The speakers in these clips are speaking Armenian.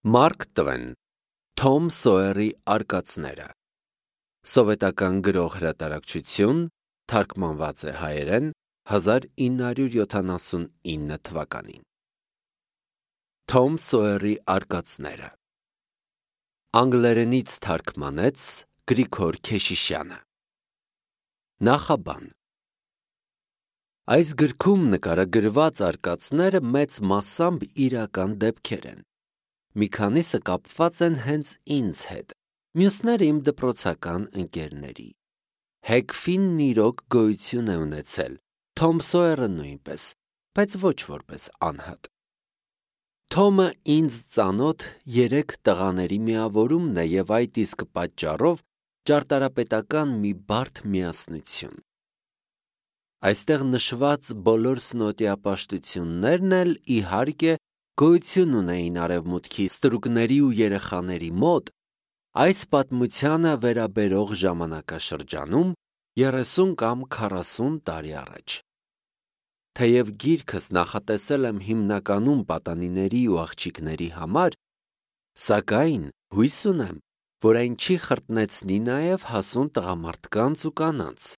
Մարկ Տվեն, Թոմ Սոյերի արկածները, Սովետական գրող հրատարակչություն, թարգմանված է հայերեն 1979 թվականին։ Թոմ Սոյերի արկածները, անգլերենից թարգմանեց Գրիգոր Քեշիշյանը։ Նախաբան։ Այս գրքում նկարագրված արկածները մեծ մասամբ իրական դեպքեր են։ Մի քանիսը կապված են հենց ինձ հետ, մյուսները իմ դպրոցական ընկերների։ Հեքֆինն իրոք գոյություն է ունեցել, Թոմ Սոյերը նույնպես, բայց ոչ որպես անհատ։ Թոմը ինձ ծանոթ 3 տղաների միավորումն է և այդ իսկ պատճառով ճարտարապետական մի բարդ միասնություն։ Այստեղ նշված բոլոր սնոտիապաշտություններն էլ իհարկե գոյություն ունեին արևմուտքի ստրուկների ու երեխաների մոտ այս պատմությանը վերաբերող ժամանակաշրջանում 30 կամ 40 տարի առաջ։ Թեև գիրքս նախատեսել եմ հիմնականում պատանիների ու աղջիկների համար, սակայն հույս ունեմ, որ այն չի խրտնեցնի նաև հասուն տղամարդկանց ու կանանց։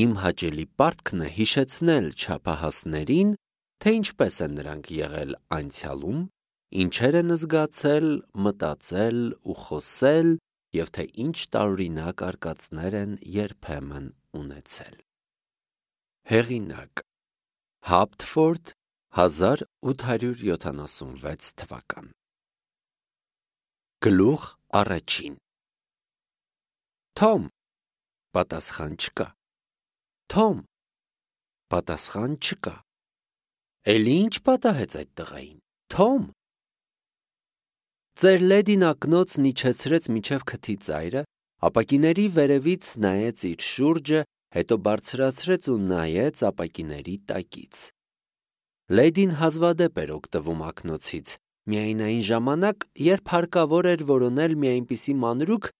Իմ հաճելի պարտքն է հիշեցնել չափահասներին, թե ինչպես են նրանք եղել անցյալում, ինչեր են զգացել, մտածել ու խոսել, և թե ինչ տարօրինակ արկածներ են երբեմն ունեցել։ Հեղինակ՝ Հապտֆորդ, 1876 թվական։ Գլուխ առաջին։ Թոմ, պատասխան չկա։ Թոմ, պատասխան չկա։ Էլի ինչ պատահեց այդ տղային, Թոմ։ Ձեր լեդին ակնոցն իջեցրեց մինչև քթի ծայրը, ապակիների վերևից նայեց իր շուրջը, հետո բարձրացրեց ու նայեց ապակիների տակից։ Լեդին հազվադեպ էր օգտվում ակնոցից, միայն այն ժամանակ, երբ հարկավոր էր որոնել մի այնպիսի մանրուք,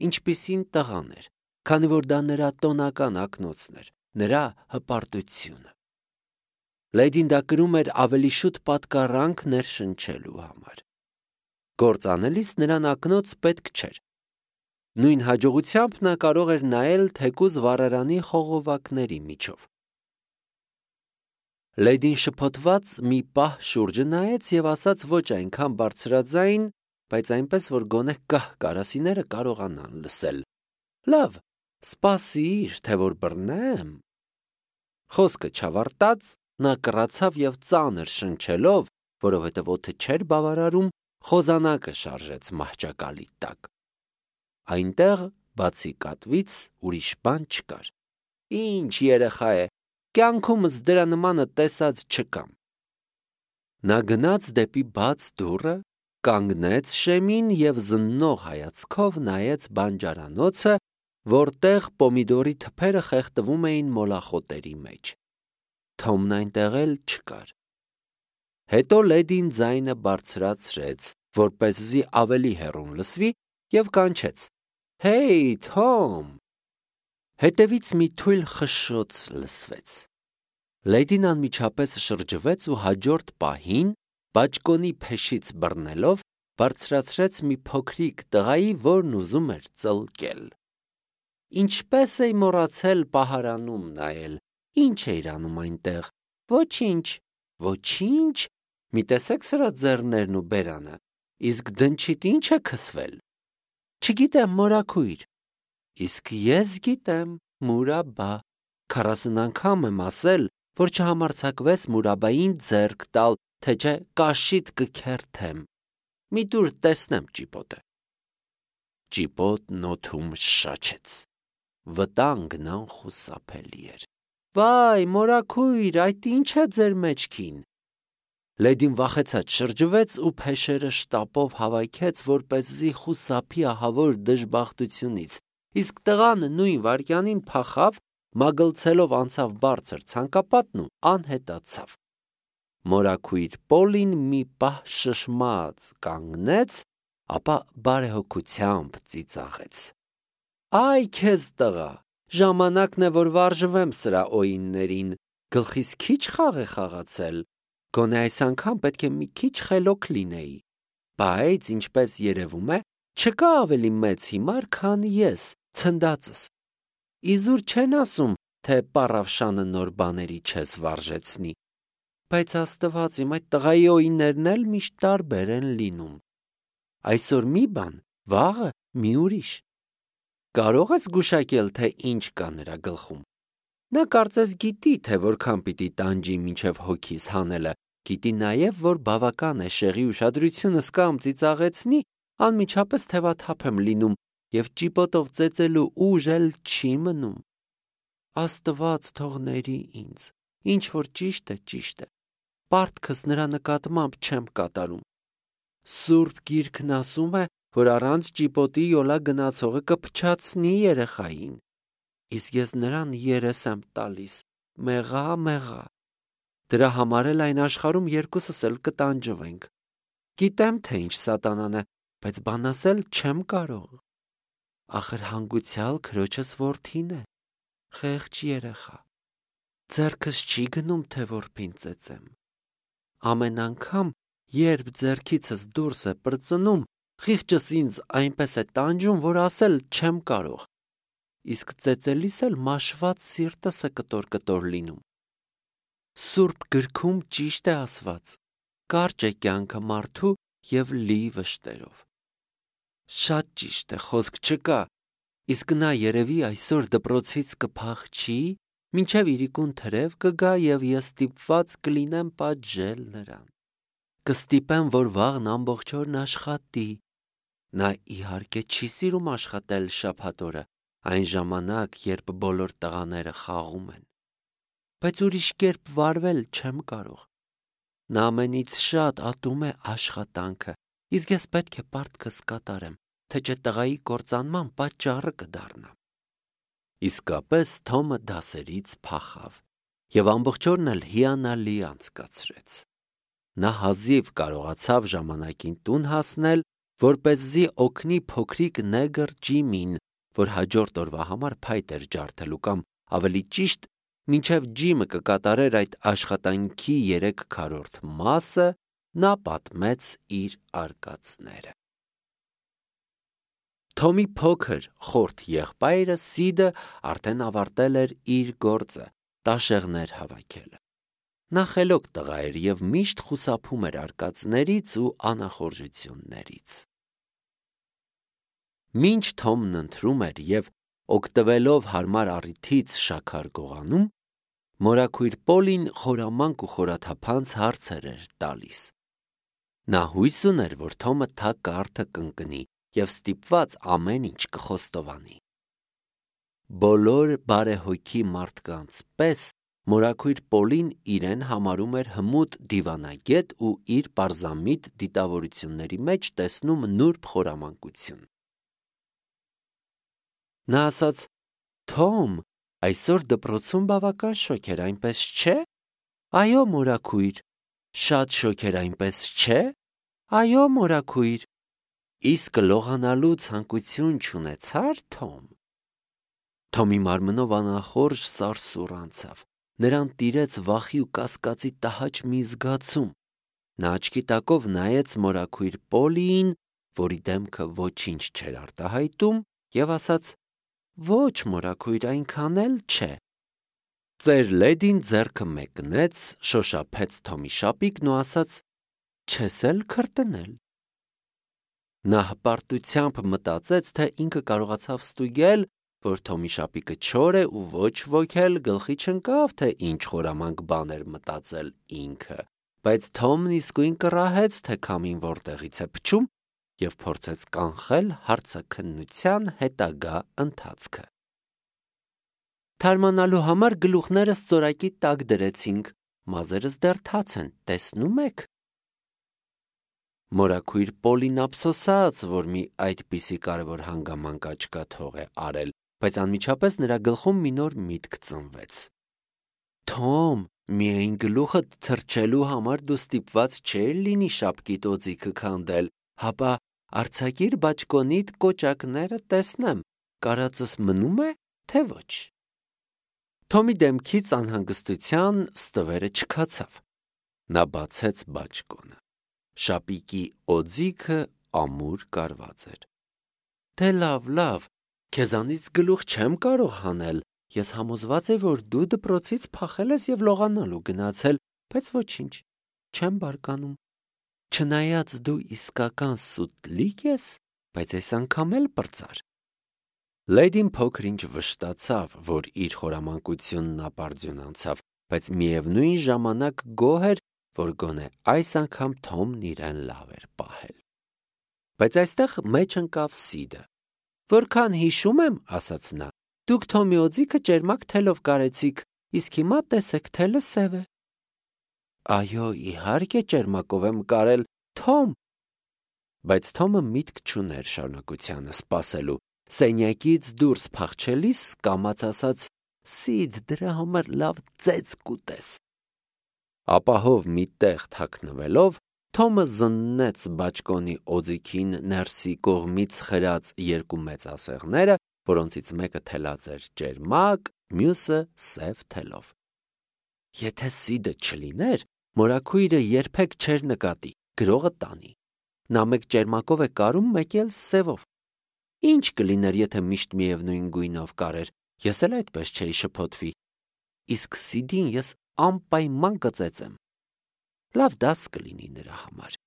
ինչպիսին տղան էր, քանի որ դա նրա տոնական ակնոցն էր, նրա հպարտությունը։ Լեդին դա կրում էր ավելի շուտ պատկառանք ներշնչելու համար։ Գործ անելիս նրան ակնոց պետք չէր։ Նույն հաջողությամբ նա կարող էր նայել թեկուզ վառարանի խողովակների միջով։ Լեդին շփոթված մի պահ շուրջը նայեց և ասաց ոչ այնքան բարձրաձայն, բայց այնպես, որ գոնե կահ կարասիները կարողանան լսել. «Լավ, սպասիր, թե որ բռնեմ»։ Խոսքը չավարտած, նա կռացավ և ծանր շնչելով, որովհետև օդը չէր բավարարում, խոզանակը շարժեց մահճակալի տակ։ Այնտեղ, բացի կատվից, ուրիշ բան չկար։ Ինչ երեխա է, կյանքումս դրա նմանը տեսած չկամ։ Նա գնաց դեպի բաց դուռը, կանգնեց շեմին և զննող հայացքով նայեց բանջարանոցը, որտեղ պոմիդորի թփերը խեղդվում էին մոլախոտերի մեջ։ Թոմն այնտեղ էլ չկար։ Հետո լեդին ձայնը բարձրացրեց, որպեսզի ավելի հեռուն լսվի, և կանչեց. «Հեյ, Թոմ»։ Հետևից մի թույլ խշշոց լսվեց։ Լեդին անմիջապես շրջվեց ու հաջորդ պահին, բաճկոնի փեշից բռնելով, բարձրացրեց մի փոքրիկ տղայի, որն ուզում էր ծլկել։ Ինչպես էի մոռացել պահարանում նայել, ինչ էիր անում այնտեղ։ Ոչինչ, ոչինչ, մի տեսեք սրա ձեռներն ու բերանը, իսկ դնչիդ ինչ է քսվել։ Չգիտեմ, մորաքույր։ Իսկ ես գիտեմ, Մուրաբա, 40 անգամ եմ ասել, որ չհամարձակվես Մուրաբային ձեռք տալ, թե չէ կաշիդ կքերթեմ։ Մի տուր տեսնեմ ճիպոտը։ Ճիպոտն օդում շաչեց։ Վտանգն անխուսափելի էր։ Վայ, մորաքույր, այդ ինչ է ձեր մեջքին։ Լեդին վախեցած շրջվեց ու փեշերը շտապով հավաքեց, որպեսզի խուսափի ահավոր դժբախտությունից, իսկ տղան նույն վայրկյանին փախավ, մագլցելով անցավ բարձր ցանկապատն ու անհետացավ։ Մորաքույր Պոլին մի պահ շշմած կանգնեց, ապա բարեհոգությամբ ծիծաղեց. Այ քեզ տղա, ժամանակն է, որ վարժվեմ սրա օիններին, գլխիս քիչ խաղ է խաղացել, Գոնե այս անգամ պետք է մի քիչ խելոք լինեի, բայց ինչպես երևում է, չկա ավելի մեծ հիմար, քան ես, ցնդածս։ Իզուր չեն ասում, թե պառավշանը նոր բաների չես վարժեցնի, բայց Աստված իմ այդ տղայի օիններն էլ միշտ տարբեր են լինում։ Այսօր մի բան, վաղը մի ուրիշ։ Կարող ես գուշակել, թե ինչ կա նրա գլխում։ Նա կարծես գիտի, թե որքան պիտի տանջի մինչև հոգիս հանելը, գիտի նաև, որ բավական է շեղի ուշադրությունս կամ ծիծաղեցնի, անմիջապես թևաթափ եմ լինում և ճիպոտով ծեծելու ուժ էլ չի մնում։ Աստված թողների ինձ, ինչ որ ճիշտ է, պարտքս նրա նկատմամբ չեմ կատարում։ Սուրբ Գիրքն ասում է, որ առանց ճիպոտի յոլա գնացողը կփչացնի երեխային, իսկ ես նրան երես եմ տալիս, մեղա։ Դրա համար էլ այն աշխարհում երկուսս էլ կտանջվենք։ Գիտեմ, թե ինչ սատանան է, բայց բան ասել չեմ կարող։ Ախր հանգուցյալ քրոջս որդին է, խեղճ երեխա։ Ձեռքս չի գնում, թե որբին ծեծեմ։ Ամեն անգամ, երբ ձեռքիցս դուրս է պրծնում, խիղճս ինձ այնպես է տանջում, որ ասել չեմ կարող։ Իսկ ծեծելիս էլ մաշված սիրտս է կտոր լինում։ Սուրբ գրքում ճիշտ է ասված. կարճ է կյանքը մարդու և լի վշտերով։ Շատ ճիշտ է, խոսք չկա, իսկ նա երևի այսօր դպրոցից կփախչի, մինչև իրիկուն թրև կգա և ես ստիպված կլինեմ պատժել նրան։ Կստիպեմ, որ վաղն ամբողջ օրն աշխատի։ Նա իհարկե չի սիրում աշխատել շաբաթ օրը, այն ժամանակ, երբ բոլոր տղաները խաղում են։ Բայց ուրիշ կերպ վարվել չեմ կարող։ Նա ամենից շատ ատում է աշխատանքը, իսկ ես պետք է պարտքս կատարեմ, թե չէ տղայի կործանման պատճառը կդառնամ։ Իսկապես Թոմը դասերից փախավ և ամբողջ օրն էլ հիանալի անցկացրեց։ Նա հազիվ կարողացավ ժամանակին տուն հասնել, որպեսզի օգնի փոքրիկ նեգր Ջիմին, որ հաջորդ օրվա համար փայտ էր ջարդելու կամ ավելի ճիշտ, մինչև Ջիմը կկատարեր այդ աշխատանքի 3/4 մասը, նա պատմեց իր արկածները։ Թոմի փոքր խորթ եղբայրը Սիդը արդեն ավարտել էր իր գործը՝ տաշեղներ հավաքելը։ Նա խելոք տղա էր և միշտ խուսափում էր արկածներից ու անախորժություններից։ Մինչ Թոմն ընթրում էր և օգտվելով հարմար առիթից շաքար գողանում, մորաքույր Պոլին խորամանկ ու խորաթափանց հարցեր էր տալիս։ Նա հույս ուներ, որ Թոմը թակարդը կընկնի և ստիպված ամեն ինչ կխոստովանի։ Բոլոր բարեհոգի մարդկանց պես մորաքույր Պոլին իրեն համարում էր հմուտ դիվանագետ ու իր պարզամիտ դիտավորությունների մեջ տեսնում նուրբ խորամանկություն։ Նա ասաց. «Թոմ, այսօր դպրոցում բավական շոգ էր, այնպես չէ»։ «Այո, մորաքույր»։ «Շատ շոգ էր, այնպես չէ»։ «Այո, մորաքույր»։ «Իսկ լողանալու ցանկություն չունեցա՞ր, Թոմ»։ Թոմի մարմնով անախորժ սարսուռ անցավ։ Նրան տիրեց վախի ու կասկածի տհաճ մի զգացում։ Նա աչքի տակով նայեց մորաքույր Պոլիին, որի դեմքը ոչինչ չէր արտահայտում, և ասաց. «Ոչ, մորաքույր, այնքան էլ չէ»։ Ծեր լեդին ձեռքը մեկնեց, շոշափեց Թոմի շապիկն ու ասաց. «Չես էլ քրտնել»։ Նա հպարտությամբ մտածեց, թե ինքը կարողացավ ստուգել, որ Թոմի շապիկը չոր է ու ոչ ոք էլ գլխի չընկավ, թե ինչ խորամանկ բան էր մտածել ինքը, բայց Թոմն իսկույն կռահեց, թե քամին որտեղից է փչում և փորձեց կանխել հարցաքննության հետագա ընթացքը։ Թարմանալու համար գլուխներս ծորակի տակ դրեցինք, մազերս դեռ թաց են, տեսնում եք։ Մորաքույր Պոլին ափսոսաց, որ մի այդպիսի կարևոր հանգամանք աչքաթող է արել, բայց անմիջապես նրա գլխում մի նոր միտք ծնվեց։ Թոմ, միայն գլուխդ թրջելու համար դու ստիպված չէր լինի շապկիդ օձիքը քանդել, հապա արձակիր բաճկոնիդ կոճակները տեսնեմ, կարածս մնում է, թե ոչ։ Թոմի դեմքից անհանգստության ստվերը չքացավ։ Նա բացեց բաճկոնը։ Շապիկի օձիքը ամուր կարված էր։ Դե լավ, քեզանից գլուխ չեմ կարող հանել, ես համոզված եմ, որ դու դպրոցից փախել ես և լողանալու գնացել, բայց ոչինչ, չեմ բարկանում։ Չնայած դու իսկական սուտլիկ ես, բայց այս անգամ էլ պրծար։ Լեյդին փոքր-ինչ վշտացավ, որ իր խորամանկությունն ապարդյուն անցավ, բայց միևնույն ժամանակ գոհ էր, որ գոնե այս անգամ Թոմն իրեն լավ էր պահել։ Բայց այստեղ մեջ ընկավ Սիդը։ Որքան հիշում եմ, ասաց նա, դուք Թոմի օձիքը ճերմակ թելով կարեցիք, իսկ հիմա տեսեք, թելը սև է։ Այո, իհարկե ճերմակով եմ կարել, Թոմ։ Բայց Թոմը միտք չուներ շարունակությանը սպասելու։ Սենյակից դուրս փախչելիս կամաց ասաց. Սիդ, դրա համար լավ ծեծ կուտես։ Ապահով մի տեղ թաքնվելով, Թոմը զննեց բաճկոնի օձիքին ներսի կողմից խրած երկու մեծ ասեղները, որոնցից մեկը թելած էր ճերմակ, մյուսը սև թելով։ Եթե Սիդը չլիներ, մորաքույրը երբեք չէր նկատի, գրողը տանի։ Նա մեկ ճերմակով է կարում, մեկ էլ սևով։ Ինչ կլիներ, եթե միշտ միևնույն գույնով կարեր, ես էլ այդպես չէի շփոթվի։ Իսկ Սիդին ես անպայման կծեծեմ։ Լավ դաս կլինի նրա համար։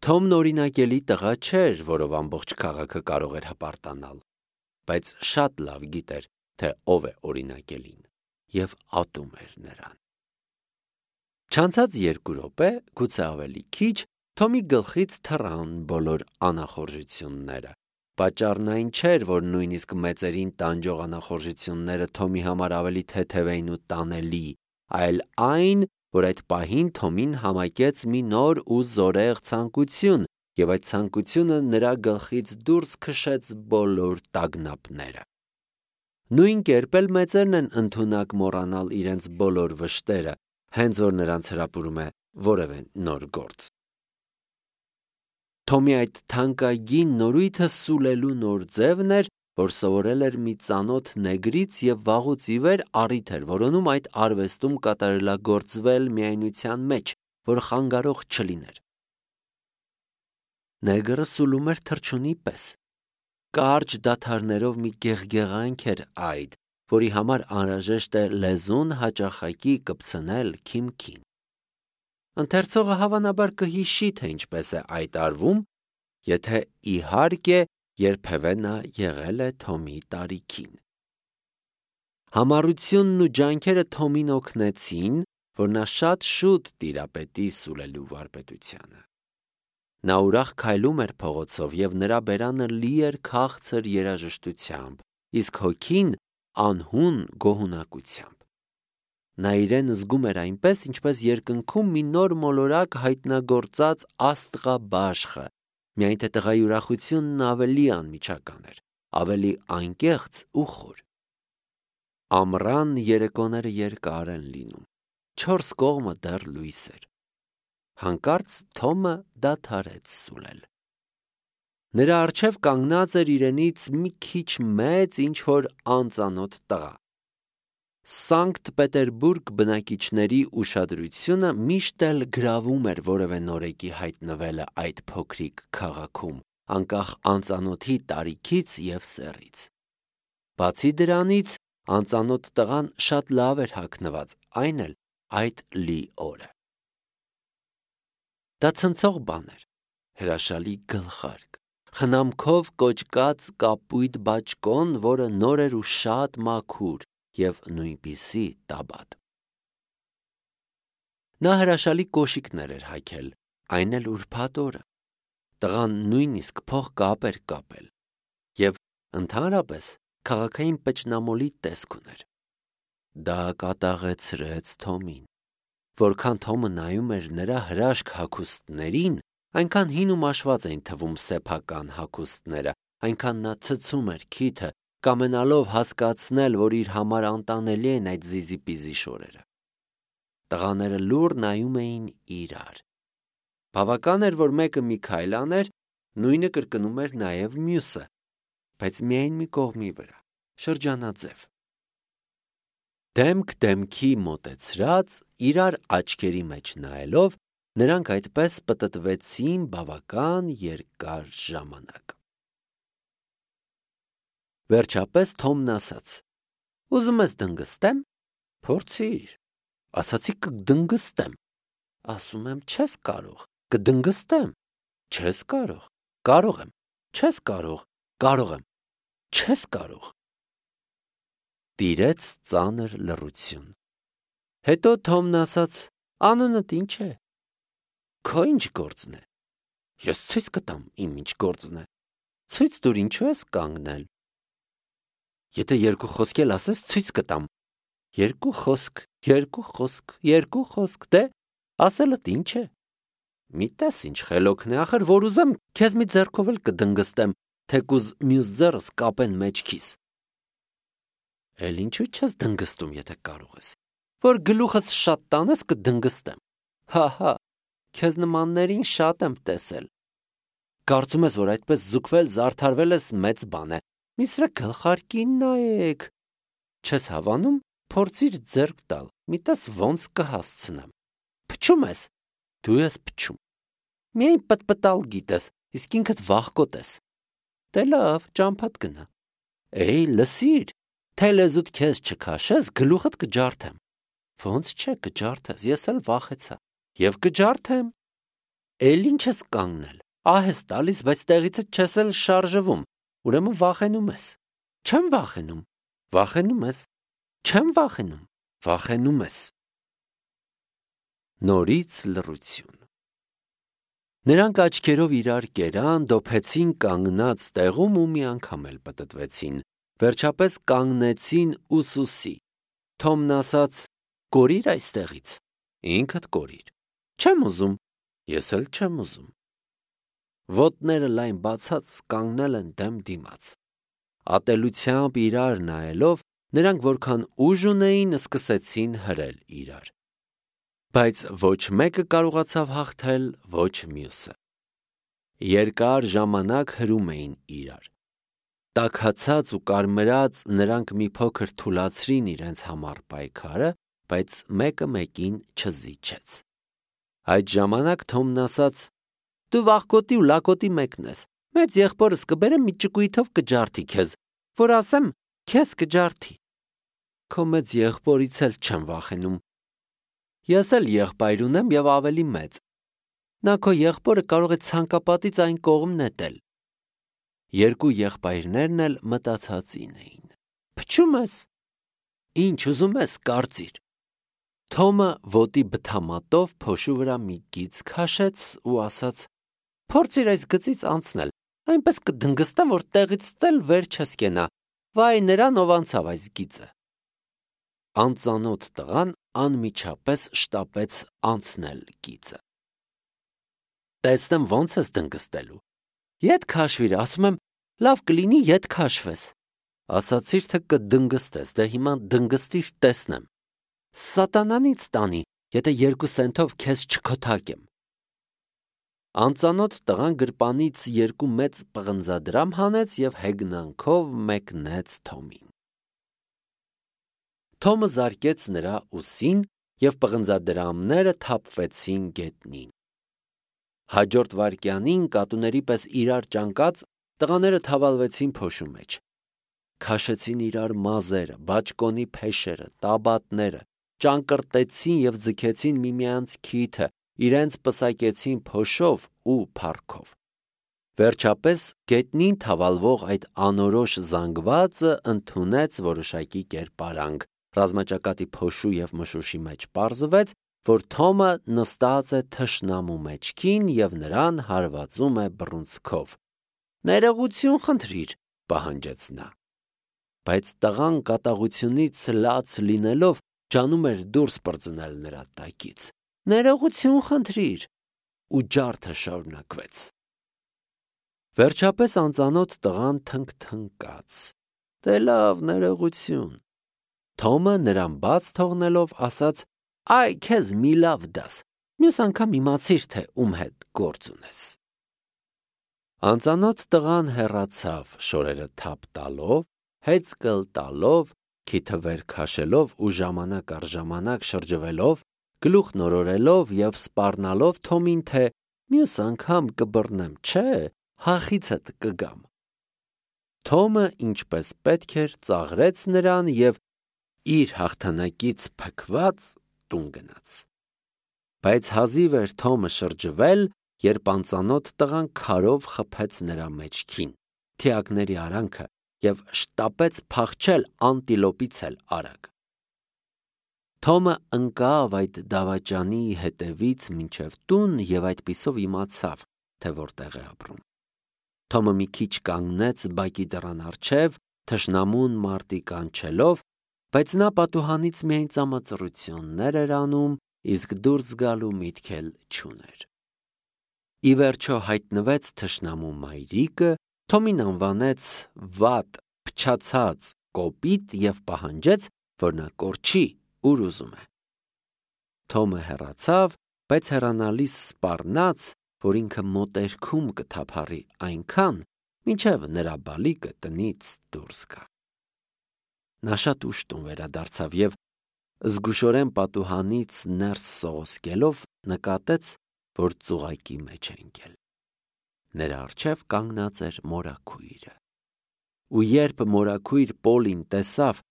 Թոմն օրինակելի տղա չէր, որով ամբողջ քաղաքը կարող էր հպարտանալ, բայց շատ լավ գիտեր, թե ով է օրինակելին, և ատում էր նրան։ Չանցած 2 րոպե, գուցե ավելի քիչ, Թոմի գլխից թռան բոլոր անախորժությունները։ Պատճառն այն չէր, որ նույնիսկ մեծերին տանջող անախորժությունները Թոմի համար ավելի թեթև էին ու տանելի, այլ այն, որ այդ պահին Թոմին համակեց մի նոր ու զորեղ ցանկություն, և այդ ցանկությունը նրա գլխից դուրս քշեց բոլոր տագնապները։ Նույն կերպ էլ մեծերն են ընդունակ մոռանալ իրենց բոլոր վշտերը, հենց որ նրանց հրապուրում է որևէ նոր գործ։ Թոմի այդ թանկագին նորույթը սուլելու նոր ձևն էր, որ սովորել էր մի ծանոթ նեգրից և վաղուց ի վեր առիթ էր որոնում այդ արվեստում կատարելագործվել միայնության մեջ, որ խանգարող չլիներ։ Նեգրը սուլում էր թռչունի պես։ Կարճ դադարներով մի գեղգեղանք էր այդ, որի համար անհրաժեշտ է լեզուն հաճախակի կպցնել քիմքին։ Ընթերցողը հավանաբար կհիշի, թե ինչպես է այդ արվում, եթե իհարկե երբևէ նա եղել է Թոմի տարիքին։ Համառությունն ու ջանքերը Թոմին օգնեցին, որ նա շատ շուտ տիրապետի սուլելու վարպետությանը։ Նա ուրախ քայլում էր փողոցով, և նրա բերանը լի էր քաղցր երաժշտությամբ, իսկ հոգին անհուն գոհունակությամբ։ Նա իրեն զգում էր այնպես, ինչպես երկնքում մի նոր մոլորակ հայտնագործած աստղաբաշխը, միայն թե տղայի ուրախությունն ավելի անմիջական էր, ավելի անկեղծ ու խոր։ Ամռան երեկոները երկար են լինում, 4 կողմը դեռ լույս էր։ Հանկարծ Թոմը դադարեց սուլել։ Նրա առջև կանգնած էր իրենից մի քիչ մեծ ինչ-որ անծանոթ տղա։ Սանկտ Պետերբուրգ բնակիչների ուշադրությունը միշտ էլ գրավում էր որևէ նորեկի հայտնվելը այդ փոքրիկ քաղաքում, անկախ անծանոթի տարիքից և սեռից։ Բացի դրանից, անծանոթ տղան շատ լավ էր հագնված, այն էլ այդ լի օրը։ Դա ցնցող բան էր, հրաշալի գլխարկ, խնամքով կոճկած կապույտ բաճկոն, որը նոր էր ու շատ մաքուր, և նույնպիսի տաբատ։ Նա հրաշալի կոշիկներ էր հագել, այն էլ ուրբաթ օրը։ Տղան նույնիսկ փողկապ էր կապել, և ընդհանրապես քաղաքային պճնամոլի տեսք ուներ։ Դա կատաղեցրեց Թոմին։ Որքան Թոմը նայում էր նրա հրաշք հագուստներին, այնքան հին ու մաշված էին թվում սեփական հագուստները, այնքան նա ցցում էր քիթը, կամենալով հասկացնել, որ իր համար անտանելի են այդ զիզիպիզի շորերը։ Տղաները լուռ նայում էին իրար։ Բավական էր, որ մեկը մի քայլ աներ, նույնը կրկնում էր նաև մյուսը, բայց միայն մի կողմի վրա, շրջանաձև։ Դեմք դեմքի մոտեցրած, իրար աչքերի մեջ նայելով, նրանք այդպես պտտվեցին բավական երկար ժամանակ։ Վերջապես Թոմն ասաց. «Ուզում ես դնգստեմ»։ «Փորձիր»։ Ասացի կդնգստեմ։ Ասում եմ չես կարող։ Կդնգստեմ։ Չես կարող։ Կարող եմ։ Չես կարող։ Կարող եմ։ Չես կարող։ Տիրեց ծանր լռություն։ Հետո Թոմն ասաց. «Անունդ ինչ է»։ Քո ինչ գործն է։ Ես ցույց կտամ իմ ինչ գործն է։ Ցույց տուր, ինչու ես կանգնել։ Եթե երկու խոսք էլ ասես, ցույց կտամ։ Երկու խոսք, երկու խոսք, երկու խոսք, դե ասելդ ինչ է։ Մի տես ինչ խելոքն է, ախր որ ուզեմ, քեզ մի ձեռքով էլ կդնգստեմ, թեկուզ մյուս ձեռս կապեն մեջքիս։ Էլ ինչու չես դնգստում, եթե կարող ես։ Որ գլուխս շատ տանես կդնգստեմ։ Հա, քեզ նմաններին շատ եմ տեսել։ Կարծում ես, որ այդպես զուգվել, զարդարվել ես մեծ բան է։ Մի սրա գլխարկին նայեք։ Չես հավանում, փորձիր ձեռք տալ, մի տես ոնց կհասցնեմ։ Փչում ես։ Դու ես փչում։ Միայն պտպտալ գիտես, իսկ ինքդ վախկոտ ես։ Դե լավ, ճամփատ գնա։ Էй, լսիր, թե լեզուդ քեզ չքաշես, գլուխդ կջարդեմ։ Ոնց չէ կջարդես, ես էլ վախեցա։ Եվ կջարդեմ։ Էլ ինչ ես կանգնել։ Ահ ես տալիս, բայց տեղիցդ չես էլ շարժվում։ Ուրեմն վախենում ես։ Չեմ վախենում։ Վախենում ես։ Չեմ վախենում։ Վախենում ես։ Նորից լռություն։ Նրանք աչքերով իրար կերան, դոփեցին կանգնած տեղում ու մի անգամ էլ պտտվեցին։ Վերջապես կանգնեցին ուսուսի։ Թոմն ասաց. «Կորիր այստեղից»։ Ինքդ կորիր։ Չեմ ուզում։ Ես էլ չեմ ուզում։ Ոտները լայն բացած կանգնել են դեմ դիմաց։ Ատելությամբ իրար նայելով, նրանք որքան ուժ ունեին, սկսեցին հրել իրար։ Բայց ոչ մեկը կարողացավ հաղթել, ոչ մյուսը։ Երկար ժամանակ հրում էին իրար։ Տաքացած ու կարմրած նրանք մի փոքր թուլացրին իրենց համար պայքարը, բայց մեկը մեկին չզիջեց։ Այդ ժամանակ Թոմն ասաց. «Դու վախկոտի ու լակոտի մեկն ես։ Մեծ եղբորս կբերեմ մի ճկույթով կջարդի քեզ, որ ասեմ, քեզ կջարդի»։ Քո մեծ եղբորից էլ չեմ վախենում։ Ես էլ եղբայր ունեմ եւ ավելի մեծ։ Նա քո եղբորը կարող է ցանկապատից այն կողմ նետել։ Երկու եղբայրներն էլ մտածածին էին։ Փչում ես։ Ինչ ուզում ես, կարծիր։ Թոմը ոտի բթամատով փոշու վրա մի գիծ քաշեց ու ասաց. «Փորձիր այս գծից անցնել, այնպես կդնգստեմ, որ տեղից ստել վեր չես կենա։ Վայ նրան, ով անցավ այս գիծը»։ Անծանոթ տղան անմիջապես շտապեց անցնել գիծը։ Տեսնեմ ոնց ես դնգստելու։ Ետ քաշվիր, ասում եմ, լավ կլինի ետ քաշվես։ Ասացիր, թե կդնգստես, դե հիմա դնգստիր տեսնեմ։ Սատանանից տանի, եթե 2 սենթով քեզ չքոթակեմ։ Անծանոթ տղան գրպանից 2 մեծ պղնձադրամ հանեց եւ հեգնանքով մեկնեց Թոմին։ Թոմը զարկեց նրա ուսին եւ պղնձադրամները թափվեցին գետնին։ Հաջորդ վայրկյանին կատուների պես իրար ճանկած տղաները թավալվեցին փոշու մեջ։ Քաշեցին իրար մազերը, բաճկոնի փեշերը, տաբատները, ճանկրտեցին եւ ձգեցին միմյանց քիթը, իրենց պսակեցին փոշով ու փառքով։ Վերջապես գետնին թավալվող այդ անորոշ զանգվածը ընդունեց որոշակի կերպարանք։ Ռազմաճակատի փոշու եւ մշուշի մեջ պարզվեց, որ Թոմը նստած է թշնամու մեջքին եւ նրան հարվածում է բռունցքով։ Ներողություն խնդրիր, պահանջեց նա։ Բայց տղան կատաղությունից լաց լինելով ջանում էր դուրս պրծնել նրա տակից։ Ներողություն խնդրիր, ու ջարդը շարունակվեց։ Վերջապես անծանոթ տղան թնկթնկաց. Դե լավ, ներողություն։ Թոմը նրան բաց թողնելով ասաց. Այ քեզ մի լավ դաս։ Մյուս անգամ իմացիր, թե ում հետ գործ ունես։ Անծանոթ տղան հեռացավ շորերը թափ տալով, հեծկլ տալով, քիթը վեր քաշելով ու ժամանակ առ ժամանակ շրջվելով, գլուխ նորորելով և սպառնալով Թոմին, թե մյուս անգամ կբռնեմ, չէ, հախիցդ կգամ։ Թոմը ինչպես պետք էր ծաղրեց նրան և իր հաղթանակից փքված տուն գնաց։ Բայց հազիվ էր Թոմը շրջվել, երբ անծանոթ տղան քարով խփեց նրա մեջքին, թիակների արանքը և շտապեց փախչել անտիլոպից էլ արագ։ Թոմը ընկավ այդ դավաճանի հետևից մինչև տուն և այդպիսով իմացավ, թե որտեղ է ապրում։ Թոմը մի քիչ կանգնեց բակի դռան առջև, թշնամուն մարտի կանչելով, բայց նա պատուհանից միայն ծամածռություններ էր անում, իսկ դուրս գալու միտք էլ չուներ։ Ի վերջո հայտնվեց թշնամու մայրիկը, Թոմին անվանեց վատ, փչացած, կոպիտ և պահանջեց, որ նա կորչի, ուր ուզում է։ Թոմը հեռացավ, բայց հեռանալիս սպառնաց, որ ինքը մոտերքում կթափառի այնքան, մինչև նրա բալիկը տնից դուրս գա։ Նա շատ ուշ տուն վերադարձավ և զգուշորեն պատուհանից ներս սողոսկելով նկատեց, որ ծուղակի մեջ է ընկել։ Նրա առջև կանգնած էր մորաքույրը։ Ու երբ մորաքույր Պոլին տեսավ,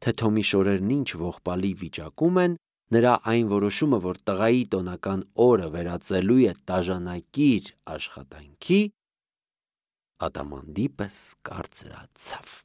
թե Թոմի շորերն ինչ ողբալի վիճակում են, նրա այն որոշումը, որ տղայի տոնական օրը վերածելու է տաժանակիր աշխատանքի, ադամանդի պես կարծրացավ։